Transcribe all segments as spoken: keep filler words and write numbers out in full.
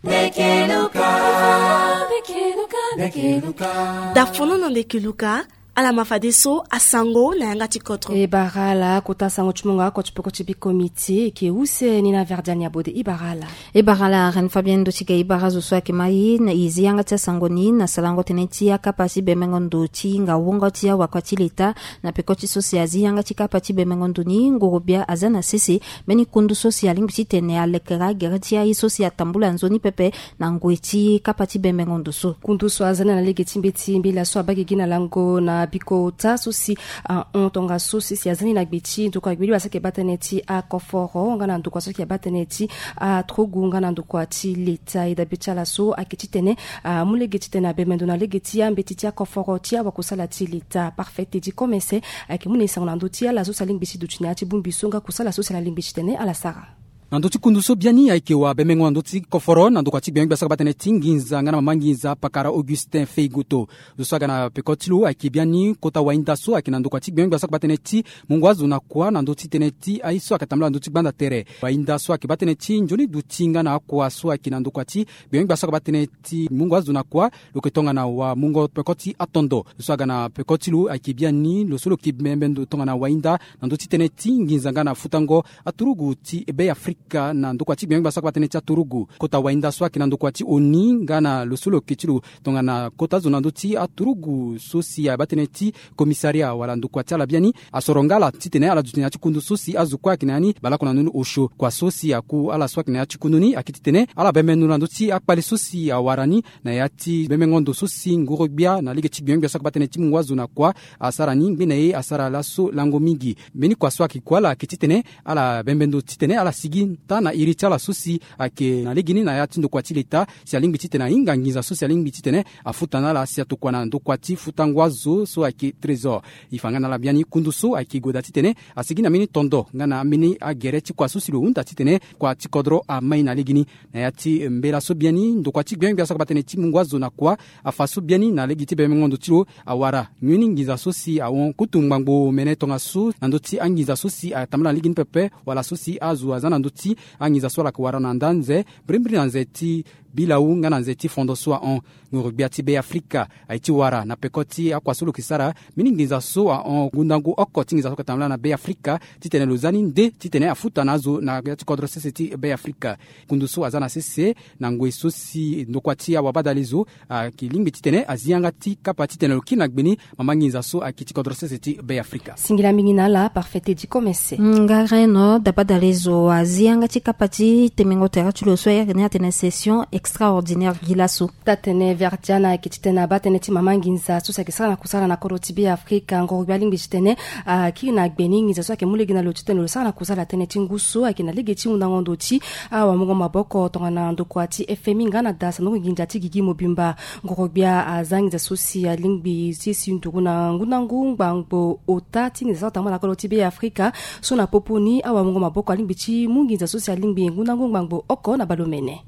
Ndeke Luka. Ndeke Luka. Ndeke Luka. Dafono na Ndeke Luka. Ala ma fadeso asango na yanga ti kodro. E bara ala kota sango ti mungo oko ti peko ti biko miti e ke use ni na Verdiane Abode. E bara ala. E bara ala Reine Fabienne ndo ti ga e bara zo so ayeke ma e na e zi yanga ti asango ni na sarango tënë ti akapa ti bembengo ndo ti hinga wungo ti awakua ti leta. Na peko ti so si azi yanga ti kapa ti bembengo ndo ni, nguru gbia aza na sese mbeni kundu so si alingbi titene alekere agere ti aye so si atambula nzoni pepe na ngoi ti kapa ti bembengo ndo so. Kundu so aza ni na lege ti mbeti mbela so abaa gigi na lango na biko ota so si ahon tongaso si si aza ni na gbe ti ndokua gbe ti wasa ayeke baa tënë ti akoforo nga na ndokua so ayeke baa tënë ti aturugu nga na ndokua ti leta. E dabe ti ala so ayeke titene amu lege titene abembe ndo na lege ti ambeti ti akoforo ti awakosala ti leta. Parfait Teddy Komese ayeke mu na e sango na ndö ti ala so si alingbi ti duti na ya ti bongbi so nga kusala so si ala lingbi titene ala sara. Na ndö ti kundu so biani ayeke wabembengo na ndö ti koforo na ndokua ti gbengbia so ayeke baa tënë ti nginza nga na mama nginza pakara Augustin Feigoto. Zo so aga na peko ti lo ayeke biani kota wahinda so ayeke na ndokua ti gbengbia so ayeke baa tënë ti mungo azo na kua na ndö ti tënë ti aye so ayeke tambula na ndö ti gbanda tere. Wahinda so ayeke baa tënë ti nzoni duti nga na akua so ayeke na ndokua ti gbengbia so ayeke baa tënë ti mungo azo na kua. Lo yeke tongana wamungo peko ti atondo. Lo so aga na peko ti lo ayeke biani lo so lo yeke bembe ndo tongana wahinda na ndö ti tënë ti nginza nga na futango aturugu ti Be Afrika na ndokua ti gbengbia so ayeke baa tënë ti aturugu. Kota wahinda so ayeke na ndokua ti oni nga na lo so lo yeke ti lo tongana kota zo na ndö ti aturugu so si abaa tënë ti commissariat wala ndokua ti ala biani asoro nga ala titene ala duti na ya ti kundu so si azo kue ayeke na ya ni baleoko na ndö ni osio. Kua so si aku ala so ayeke na ya ti kundu ni ayeke titene ala bembe ndo na ndö ti akpale so si awara ni na ya ti bembengo ndo so si nguru gbia na lege ti gbengbia so ayeke baa tënë ti mungo azo na kua asara ni ngbene ye asara laso lango mingi. Mbeni kua so ayeke ku ala ayeke titene ala bembe ndo titene ala sigi taa na iri ti ala so si ayeke na legeni na ya ti ndokua ti leta si alingbi titene ahinga nginza so si alingbi titene afuta na ala si atokua na ndokua ti futango azo so ayeke trésor. E fa nga na ala biani kundu so ayeke goda titene asigi na mbeni tondo nga na ambeni agere ti kua so si lo hunda titene kua ti kodro amai na legeni. Na ya ti mbela so biani ndokua ti gbengbia so ayeke baa tënë ti mungo azo na kua afa so biani na lege ti bembengo ndo ti lo awara ngbeni nginza so si ahon kutu ngbangbo mene tongaso na ndö ti anginza so si atambula na legeni pepe wala so si azo aza na ndö ti anginza so ala yeke wara na nda nze mbirimbiri na nze ti bilau nga na nze ti fondo so ahon. Nguru gbia ti Be Afrika aye ti wara na peko ti akua so lo yeke sara mbeni nginza so ahon ngundangu oko ti nginza so ayeke tambula na Be Afrika titene lo za ni nde titene afuta na azo na ya ti kodro sese ti Be Afrika. Kundu so aza na sese na ngoi so si ndokua ti awabadale zo ayeke lingbi titene azi yanga ti kapa titene lo kiri na gbe ni mama nginza so ayeke ti kodro sese ti Be Afrika. Singila mingi na ala Parfait Teddy Komese. Nga reno dabadale zo azi yanga ti kapa ti temengo tere ti lo so ayeke ni atene session extraordinaire gi laso. Taa-tënë Verdiane ayeke titene abaa tënë ti mama nginza so si ayeke sara na kusala na kodro ti Be Afrika ngoro gbia alingbi titene akiri na gbe ni nginza so ayeke mu lege na lo titene lo sara na kusala tënë ti ngu so ayeke na lege ti hundango ndo ti awamungo maboko tongana ndokua ti F M I nga na da sanduku nginza ti gigi mobimba. Ngoro gbia aza nginza so si alingbi ti si nduru na ngundangu ngbangbo ota ti nginza so atambula na kodro ti Be Afrika so na popo ni awamungo maboko alingbi ti mu nginza so si alingbi ngundangu ngbangbo oko na baleomene.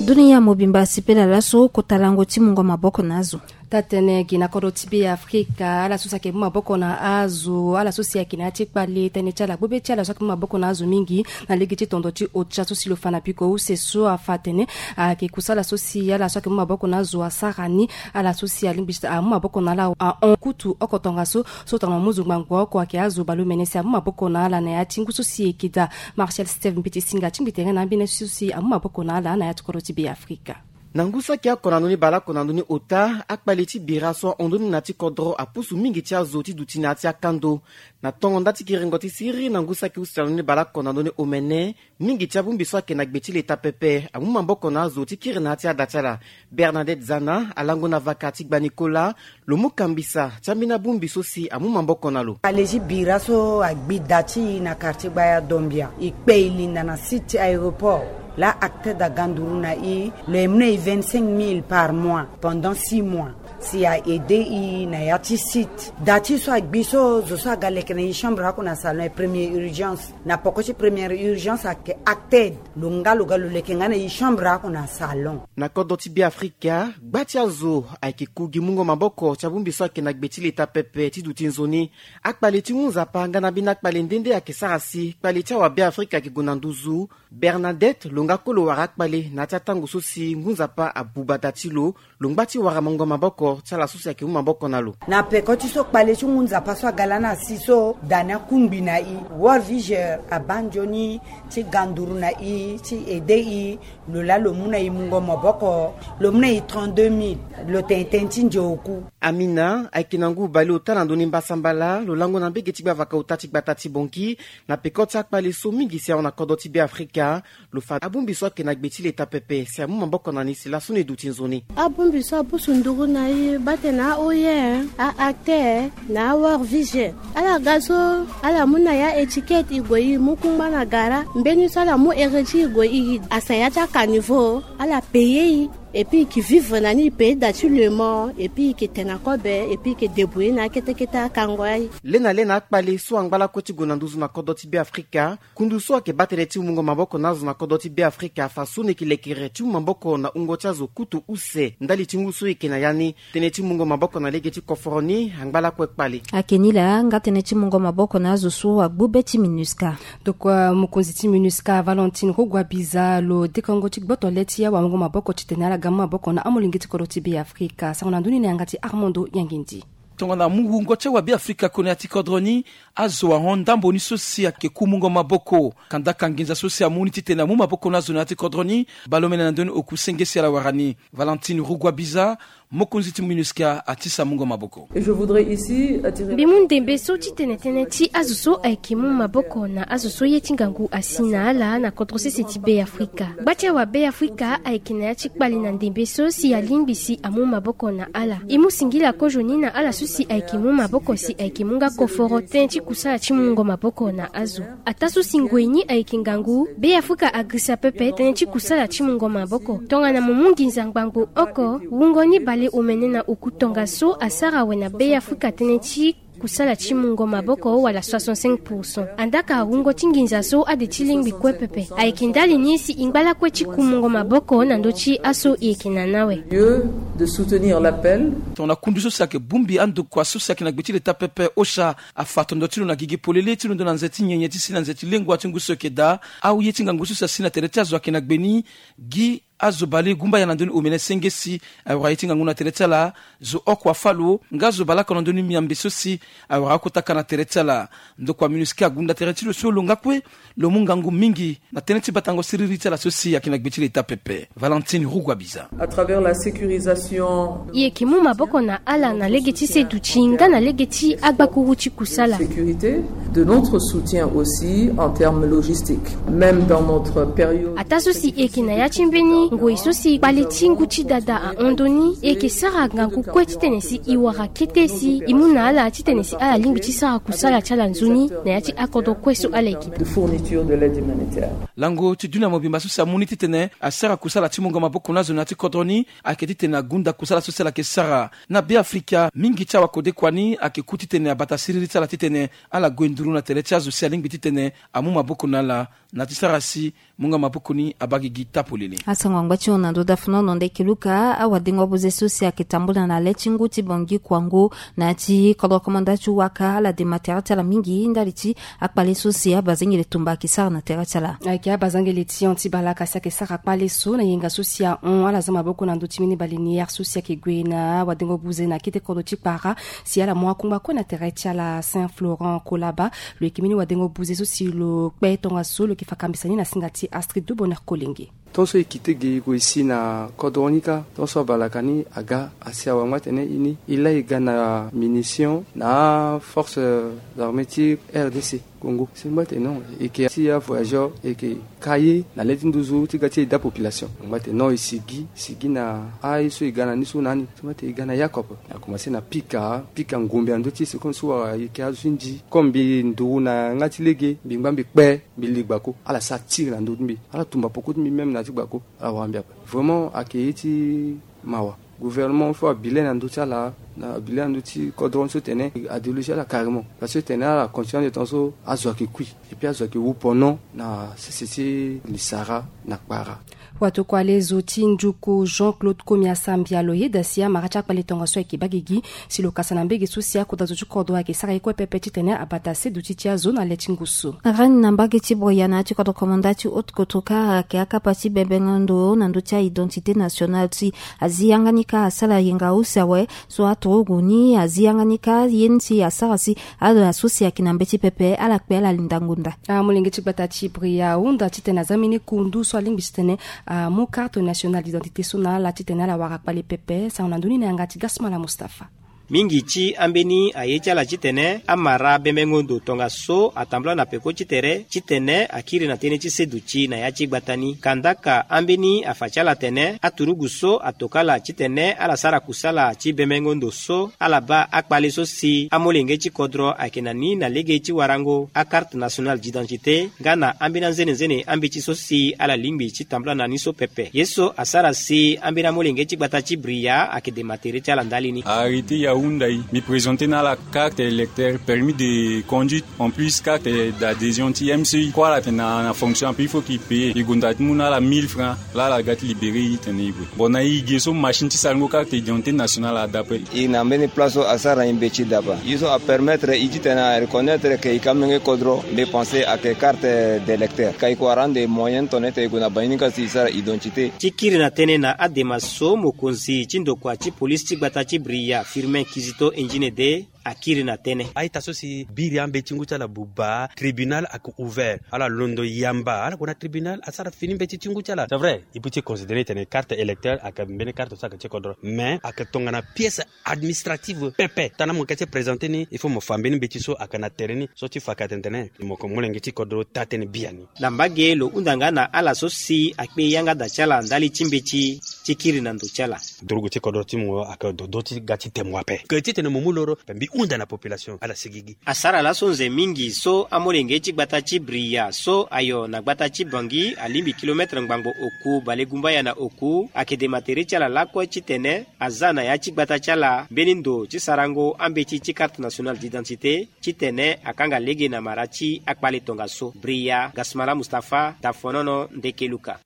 Dunia mobimba asepela laso kota lango ti mungo maboko na azo. Taa-tënë gi na kodro ti Be Afrika ala so si ayeke mu maboko na azo ala so si ayeke na ya ti kpale tënë ti ala gbobe ti ala so ayeke mu maboko na azo mingi na lege ti tondo ti otia so si lo fa na piko use so afa atene ayeke kusala so si ala so ayeke mu maboko na azo asara ni. Ala so si alingbi ti amu maboko na ala ahon kutu oko tongaso so tongana mo mu zo ngbangbo oko ayeke azo baleomene si amu maboko na ala na ya ti ngu so si e yeke daa. Martial Steve Mbeti Singa ti mbi tere na ambeni so si amu maboko na ala na ya ti kodro ti Be Afrika. Na ngu so ayeke oko na ndö ni baleoko na ndö ni ota akpale ti bira so ahon ndö ni na ya ti kodro apusu mingi ti azo ti duti na ya ti akando. Na tongo nda ti kiringo ti siriri na ngu so ayeke use na ndö ni baleoko na ndö ni omene mingi ti abongbi so ayeke na gbe ti leta pepe amu maboko na azo ti kiri na ya ti ada ti ala. Bernadette Zana alango na vaka ti gba Nicolas lo mu kambisa ti ambeni abongbi so si amu maboko na lo. Kpale ti bira so agbi da ti e na quartier gbaya Dombia e kpe e linda na site ti aéroport. Laa acte da ga nduru na e lo yeke mu na e vingt-cinq mille par mois pendant six mois. Si a aide i na ya ti site, da ti so agbi so, zo so aga leke na i chambre oko na salon, e première urgence. Na poko ti première urgence ayeke acted. Lo nga lo ga lo leke nga na i chambre oko na salon. Na kodro ti Beafrika, gba ti azo ayeke ku gi mungo maboko ti abongbi so ayeke na gbe ti leta pepe ti duti nzoni. Akpale ti ngu nzapa nga na ambeni akpale nde nde ayeke sara si kpale ti awabeafrika ayeke gue na nduzu. Bernadette lo nga kue lo wara akpale na ya ti atango so si ngu nzapa abuba da ti lo. Lo ngba ti wara mungo maboko ti ala so si ayeke mu maboko na lo. Na peko ti so kpale ti ngu nzapa so aga lani asi so, da ni akungbi na i. World Vision abaa nzoni ti ga nduru na i ti aide i. Lo laa lo mu na i mungo maboko, lo mu na i trente-deux mille. Lo tene tënë ti nze oku. Amina ayeke na ngu bale ota na ndoni mbasambala, lo lango na mbege ti gbavaka ota ti gbata ti Bangui. Na peko ti akpale so mingi si ahon na kodro ti Beafrika, lo fa abongbi so ayeke na gbe ti leta pepe si amu maboko na ni si laso ni duti nzoni. Abongbi so abusu nduru na i bate na a-O I M, a-acte, na a-World Vision. Ala ga so, ala mu na ya étiquette i gue i mu kungba na gara. Mbeni so ala mu ere ti i gue i asa ya ti akaniveau, ala paye i. Et puis i ke vivre na ni, i paye da ti le mort, et puis i ke tene na kobe, et puis i ke débrouiller na akete kete akango aye. Le na le na akpale so angba lakue ti gue na nduzu na kodro ti Beafrika. Kundu so ayeke baa tënë ti mungo maboko na azo na kodro ti Beafrika afa so ni yeke lekere ti mu maboko na wungo ti azo kutu use ndali ti ngu so e yeke na ya ni. Tënë ti mungo maboko na lege ti koforo ni angba lakue kpale. Ayeke ni laa nga tënë ti mungo maboko na azo so agbu be ti MINUSCA. Donc, euh, mokonzi ti MINUSCA Valentine Rugwabiza Biza lo dekango ti gboto le ti awamungo maboko titene ala ga mu maboko na amolenge ti kodro ti Beafrika. Sango na ndö ni na yanga ti Armando Yangindi. Tongana mu wungo ti awabeafrika kue na ya ti kodro ni, azo ahon ndambo ni so si ayeke ku mungo maboko. Kandaka nginza so si amu ni titene amu maboko na azo na ya ti kodro ni, baleomene na ndö ni oku senge si ala wara ni. Valentine Rugwabiza, mokonzi ti MINUSCA, atisa mungo maboko. Et je voudrais ici attirer... Mbi mu ndembe so titene tënë ti azo so ayeke mu maboko na azo so ye ti ngangu asi na ala na kodro sese ti Beafrika. Gba ti awabeafrika ayeke na ya ti kpale na ndembe so si alingbi si amu maboko na ala. E mu singila kozoni na ala so si ayeke mu maboko si ayeke mu nga koforo tënë ti kusala ti mungo maboko na azo. Ataa so si ngoi ni ayeke ngangu, Beafrika agirisa pepe tënë ti kusala ti mungo maboko. Tongana mo mu nginza ngbangbo oko, wungo ni baleomene na oku tongaso asara awe na Beafrika tënë ti kusala ti mungo maboko wala soixante-cinq pour cent. Andaka wungo ti nginza so ade ti lingbi kue pepe. Ayeke ndali ni si e ngba lakue ti ku mungo maboko na ndö ti aso e yeke na ni awe. Lieu de soutenir l'appel. Tongana kundu so si ayeke bongbi andokua so si ayeke na gbe ti leta pepe, OCHA, afa tondo ti lo na gigi polele ti londo na nze ti nyenye ti si na nze ti lengua ti ngu so eke daa. Aye ti ngangu so si asi na tere ti azo ayeke na gbe ni. Gi azo balegumbaya na ndö ni omene senge si awara ye ti ngangu na tere ti ala. Zo oko afâ lo nga zo baleoko na ndö ni miambe so si awara akota ka na tere ti ala. Ndokua MINUSCA agunda tere ti lo so lo nga kue lo mu ngangu mingi na tënë ti batango siriri ti ala so si ayeke na gbe ti leta pepe. Valentine Rugwabiza. À travers la sécurisation... E yeke mu maboko na ala na lege ti seduti nga na lege ti agbakuru ti kusala. Sécurité de notre soutien aussi en termes logistiques, même dans notre période... Ataa so si e yeke na ya ti mbeni ngoi so si kpale ti ngu ti dada ahon ndö ni, e yeke sara ngangu kue titene si e wara kete si e mu na ala titene si ala lingbi ti sara kusala ti ala nzoni na ya ti akodro kue so ala yeke. De fourniture de l'aide humanitaire. Lango ti dunia mobimba so si amu ni titene asara kusala ti mungo maboko na azo na ya ti kodro ni, ayeke titene agunda kusala so si ala yeke sara. Na Beafrika, mingi ti awakodekua ni ayeke ku titene abata siriri ti ala titene ala gue nduru na tere ti azo si alingbi titene amu maboko na ala na ti sara si mungo maboko ni abaa gigi taa polele. Asango angba ti hon na ndö dafenono nde eke luka awadengo buze so si ayeke tambula na le ti ngu ti Bangui Kuango na ya ti kodro komanda ti waka ala dema tere ti ala mingi ndali ti akpale so si abazengele tumba ayeke sara na tere ti ala. Ayeke abazengele ti hon ti balaka si ayeke sara kpale so na yenga so si ahon ala za maboko na ndö ti mbeni baleinière so si ayeke gue na awadengo buze na kete kodro ti kpara si ala mu akungba kue na tere ti ala. Saint Florent Kolaba lo yeke mbeni wadengo buze so si lo kpe tongaso lo yeke fa kambisa ni na singa ti Astrid Duboner Kolenge. Tant so e kite ge e gue si na kodro ni kâ, tant so abalaka ni aga asi awe angba tene e ni e lai e ga na munition na aforces armées ti R D C Congo. Si ngba tene non, e yeke ti avoyageur, e yeke ka ye na le ti nduzu ti ga ti aide apopulation. Ngba tene non, e sigi, sigi na aye so e ga na ni so na ni. Si ngba tene e ga na Yacob, a commencé na pika, pika ngombe na ndö ti e, c'est comme so wara e yeke azo ti ndi. Comme mbi nduru na yanga ti lege, mbi ngba mbi kpe, mbi li gbako. Ala sara tir na ndö ti mbi. Ala tumba peko ti mbi même na ya ti gbako. Ala wara mbi ape. Vraiment ayeke ye ti mawa. Gouvernement fo abile na ndö ti ala, na abile na ndö ti kodro ni so tene adéloger ala carrément, parce que tene ala continuer na temps so azo ayeke kui, et puis azo ayeke wu pendant na sese ti lisara na kpara. Watokua lezo ti njuku Jean Claude Komiasa Mbialo yeda si amara ti akpale tongaso ayeke baa gigi si lo kasa na mbege so si akota zo ti kodro ayeke sara ye kue pepe titene abata seduti ti azo na le ti ngu so. Rani na mbage ti Boya na ya ti kodro komanda ti haute kotoka ayeke akapa ti bembengo ndo na ndö ti a-identité nationale si azi yanga ni kâ asara yenga use awe. So aturugu ni azi yanga ni kâ ye ni si asara si ala so si ayeke na mbeti pepe ala kpe ala linda ngonda. Amolenge ti gbata ti Bria ahunda titene aza mbeni kundu so alingbi titene amu carte nationale d'identité so na ala titene ala wara kpale pepe. Sango na ndö ni na yanga ti Gasmala Mustapha. Mingi ti ambeni aye ti ala titene amara bembengo ndo tongaso atambula na peko ti tere titene akiri na tënë ti seduti na ya ti gbata ni. Kandaka ambeni afa ti ala tene aturugu so atoka ala titene ala sara kusala ti bembengo ndo so ala baa akpale so si amolenge ti kodro ayeke na ni na lege ti warango akarte nationale d'identité nga na ambeni anzenenzene ambeti so si ala lingbi ti tambula na ni so pepe. Ye so asara si ambeni amolenge ti gbata ti Bria ayeke dema tere ti ala ndali ni. Arrêté ahunda e, mbi présenter na ala carte électeur, permis de conduite, en plus carte d'adhésion ti M C I. Kue ala tene na fonction ape il faut qu'il paye. E gonda ti mu na ala mille francs. Laa ala ga ti libéré e tene e gue. Bon, na e ge so machine ti sarango carte d'identité nationale adapa e. E na mbeni place so asara e mbeti dapa. Ye so apermettre e titene areconnaître que e ka menge kodro, mbi pense ayeke carte d'électeur. Ka e ko wara ande moyen tongana e gue na bangi ni ka si e sara identité. Ti kiri na tënë na adema so mokonzi ti ndokua ti polisi ti gbata ti Bria Firmin Kizito Enginede akiri na tënë. Aita so si biri ambeti ngu ti ala buba, tribunal ayeke ouvert, ala londo yamba ala gue na tribunal asara fini mbeti ti ngu ti ala. C'est vrai, e peut ti considérer titene carte électeur ayeke mbeni carte so ayeke ti kodro, mais ayeke tongana pièce administrative pepe. Tana mo yeke ti présenter ni, il faut mo fa mbeni mbeti so ayeke na tere ni so ti fa ka tene tene mo yeke molenge ti kodro taa tënë biani. Na mbage lo hunda nga na ala so si akpe yanga da ti ala ndali ti mbeti ti kiri na ndo ti ala. Durugu ti kodro ti mo ayeke dodo ti ga ti temo ape. Ke titene mo mu loro, mbi hunda na population ala sigigi. Asara laso nze mingi so amolenge ti gbata ti Bria so ayo na gbata ti Bangui alingbi kilomètre ngbangbo oku balegumbaya na oku ayeke dema tere ti ala lakue titene aza na ya ti gbata ti ala mbeni ndo ti sarango ambeti ti carte nationale d'identité titene akanga lege na mara ti akpale tongaso. Bria, Gasmala Mustapha, Dafonono, Ndeke Luka.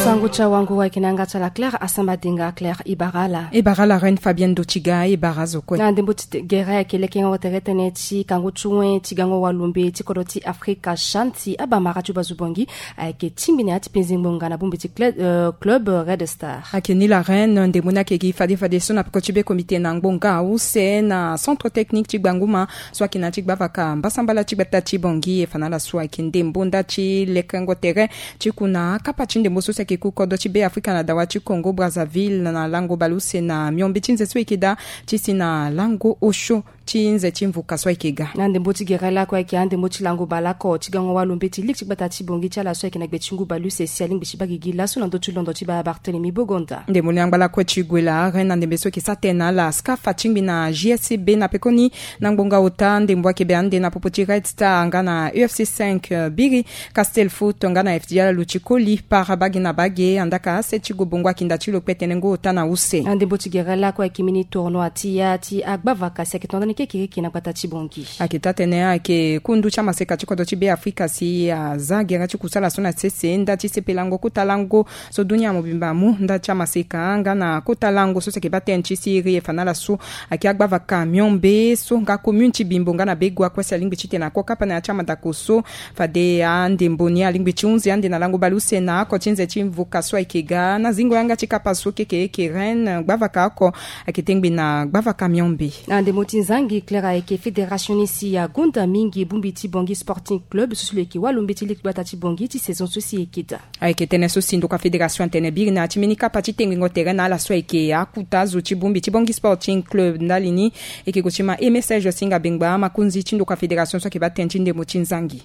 Sango ti awango ayeke na yanga ti ala Claire Asamba Denga. Claire, e bara ala. E bara ala Reine Fabienne Dotiga, e bara azo kue. Na ndembo ti gere ayeke lekengo tere tënë ti kango ti wen ti gango walumbe ti kodro ti Afrika, CHAN, si abamara ti bazo Bangui ayeke tingbi na ya ti penze ngbonga na bongbi ti cle-, euh, club Red Star. Ayeke ni la Reine, ndembo ni ayeke gi fade fade so na peko ti be comité na ngbonga use na centre technique ti Gbanguma so ayeke na ya ti gbavaka mbasambala ti gbata ti Bangui. E fa na ala so ayeke ndembo nda ti lekengo tere ti ku na akapa ti ndembo so si ayeke ku kodro ti Be Afrika na dawa ti Congo Brazzaville na lango baleuse na miombe ti nze so e yeke daa ti si na lango osio ti nze ti mvuka so ayeke ga. Na ndembo ti gere lakue ayeke andembo ti lango baleoko ti gango walumbe ti ligue ti gbata ti Bangui ti ala so ayeke na gbe ti ngu baleuse si alingbi ti baa gigi laso na ndö ti londo ti baa Barthélemy Bogonda. Ndembo ni angba lakue ti gue la Reine na ndembe so ayeke sara tënë na ala SCAF atingbi na J S C B na pekoni na ngbonga ota. Ndembo ayeke be ande na popo ti Red Star nga na U F C cinq, euh, biri Castel Foot nga na F D L Luchikoli para bage na bage. Andaka ase ti Gobongo ayeke nda ti lo kpe tene ngu ota na use. Na ndembo ti gere lakue ayeke mbeni tournoi ti ya ti agbavaka si ayeke tongana ni kekereke na gbata ti Bangui. Ayeke taa tënë ayeke ku ndu ti amaseka ti kodro ti Be Afrika si aza gere ti kusala so na sese nda ti sepelango kota lango so dunia mobimba amu nda ti amaseka nga na kota lango so si ayeke baa tënë ti siriri. E fa na ala so ayeke agbavaka miombe so nga commune ti Bimbo nga na Begua kue si alingbi titene akokapa na ya ti amadako so. Fade andembo ni alingbi ti hunzi ande na lango baleuse na oko ti nze ti mvuka so ayeke ga na zingo yanga ti kapa so kekereke Reine. Gbavaka oko ayeke tengbi na gbavaka miombe. Na ndembo ti nzangi Claire ayeke fédération ni si agonda mingi bongbi ti Bangui Sporting Club so si lo yeke walumbe ti ligue gbata ti Bangui ti saison so si e yeke daa. Ayeke tënë so si ndokua fédération atene biri na ya ti mbeni kapa ti tengbingo tere na ala so ayeke akuta azo ti bongbi ti Bangui Sporting Club ndali ni. E yeke gue ti ma e message singa bengba makonzi ti ndokua fédération so ayeke baa tënë ti ndembo ti nzangi.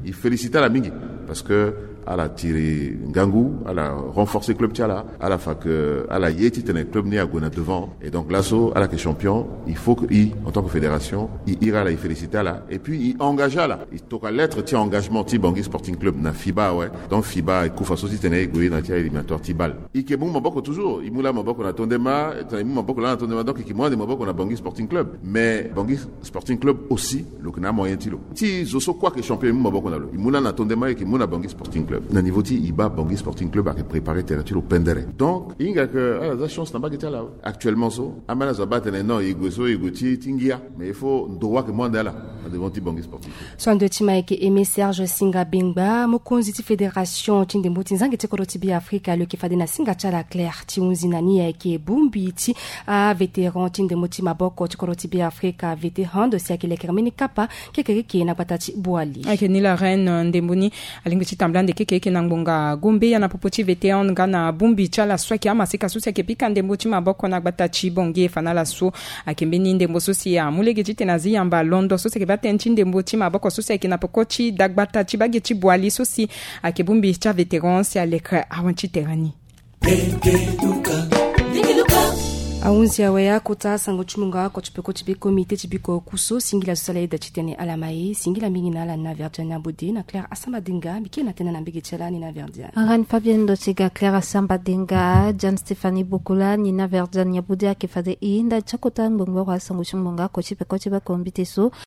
E félicité ala mingi parce que ala tiri ngangu, ala renforcer club ti ala, ala fa ke ala ye titene club ni ague na devant. Et donc laso ala yeke champion, il faut que i, en tant que fédération, i iri ala, i féliciter ala, et puis i engager ala, i toka lettre ti engagement ti Bangui Sporting Club na fiba awe. Donc fiba ekufa so titene i gue na ti a éliminatoire ti bal. I yeke mu maboko toujours, i mu laa maboko na tondema, i mu maboko laa na tondema, donc i yeke mu ande maboko na Bangui Sporting Club. Mais Bangui Sporting Club aussi, lo yeke na amoyen ti lo. Ti zo so kue ayeke champion, i mu maboko na lo, i mu laa na tondema, i yeke mu na Bangui Sporting Club. Na niveau ti i baa Bangui Sporting Club ayeke préparer terrain ti lo pendere. Donc i hinga ke ala za chance na mbage ti ala. Actuellement so ambeni azo abaa atene non, i gue so i gue ti ti ngia. Mais il faut ndo wa ayeke mu ande ala na devant ti Bangui Sporting Club. So ande ti ma ayeke Aimé Serge Singa Bengba, mokonzi ti fédération ti ndembo ti nzangi ti kodro ti Beafrika, lo yeke fade na singa ti ala Claire ti hunzi na ni ayeke bongbi ti avétéran ti ndembo ti maboko ti kodro ti Beafrika, Vete Hand, si ayeke lekere mbeni kapa kekereke na gbata ti Boali. Ayeke ni la reine, ndembo ni alingbi ti tambula ande kekereke na ngbonga Gombe ya na popo ti Vete Hand nga na bongbi ti ala so ayeke amaseka so si ayeke pika ndembo ti maboko na gbata ti Bangui. E fa na ala so ayeke mbeni ndembo so si amu lege titene azi yamba londo so si ayeke baa tënë ti ndembo ti maboko so si ayeke na peko ti dagbata ti bage ti Boali so si ayeke bongbi ti avétéran si alekere awan ti tere ni. Ahunzi awe akota sango ti mungo oko ti peko ti be comité ti biko kuso. Singila so si ala yeda titene ala ma e. Singila mingi na ala na Verdiane Abode na Claire Asamba Dinga, mbi kiri na tënë na mbege ti ala ni na Verdiane. Arane Fabienne Ndotiga, Claire Asamba Dinga, Jane Stéphanie Bokola, Nina Verdiane Abode ayeke fade e ndali ti akota ngbongboro asango ti mungo oko ti peko ti be comité so.